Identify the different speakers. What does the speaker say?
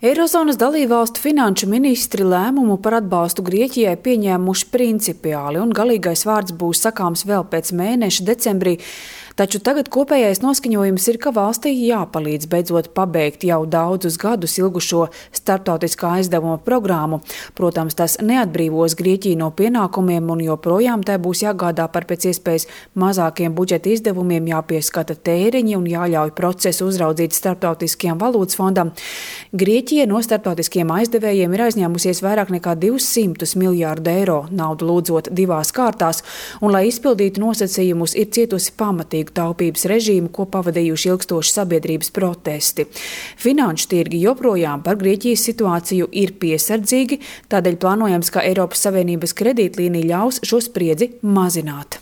Speaker 1: Eirozonas dalībvalstu finanšu ministri lēmumu par atbalstu Grieķijai pieņēmuši principiāli, un galīgais vārds būs sakāms vēl pēc mēneša decembrī. Taču tagad kopējais noskaņojums ir, ka valstī jāpalīdz beidzot pabeigt jau daudzus gadus ilgušo starptautiskā aizdevuma programmu. Protams, tas neatbrīvos Grieķiju no pienākumiem, un joprojām tai būs jāgādā par pēc iespējas mazākiem budžeta izdevumiem, jāpieskata tēriņi un jāļauj procesu uzraudzīt Starptautiskajam valūtas fondam. Grieķija no starptautiskiem aizdevējiem ir aizņēmusies vairāk nekā 200 miljārdu eiro, naudu lūdzot divās kārtās, un, lai izpildītu nosacījumus, ir cietusi pamatīgu taupības režīmu, ko pavadījuši ilgstoši sabiedrības protesti. Finanšu tirgi joprojām par Grieķijas situāciju ir piesardzīgi, tādēļ plānojams, ka Eiropas Savienības kredītlīnija ļaus šo spriedzi mazināt.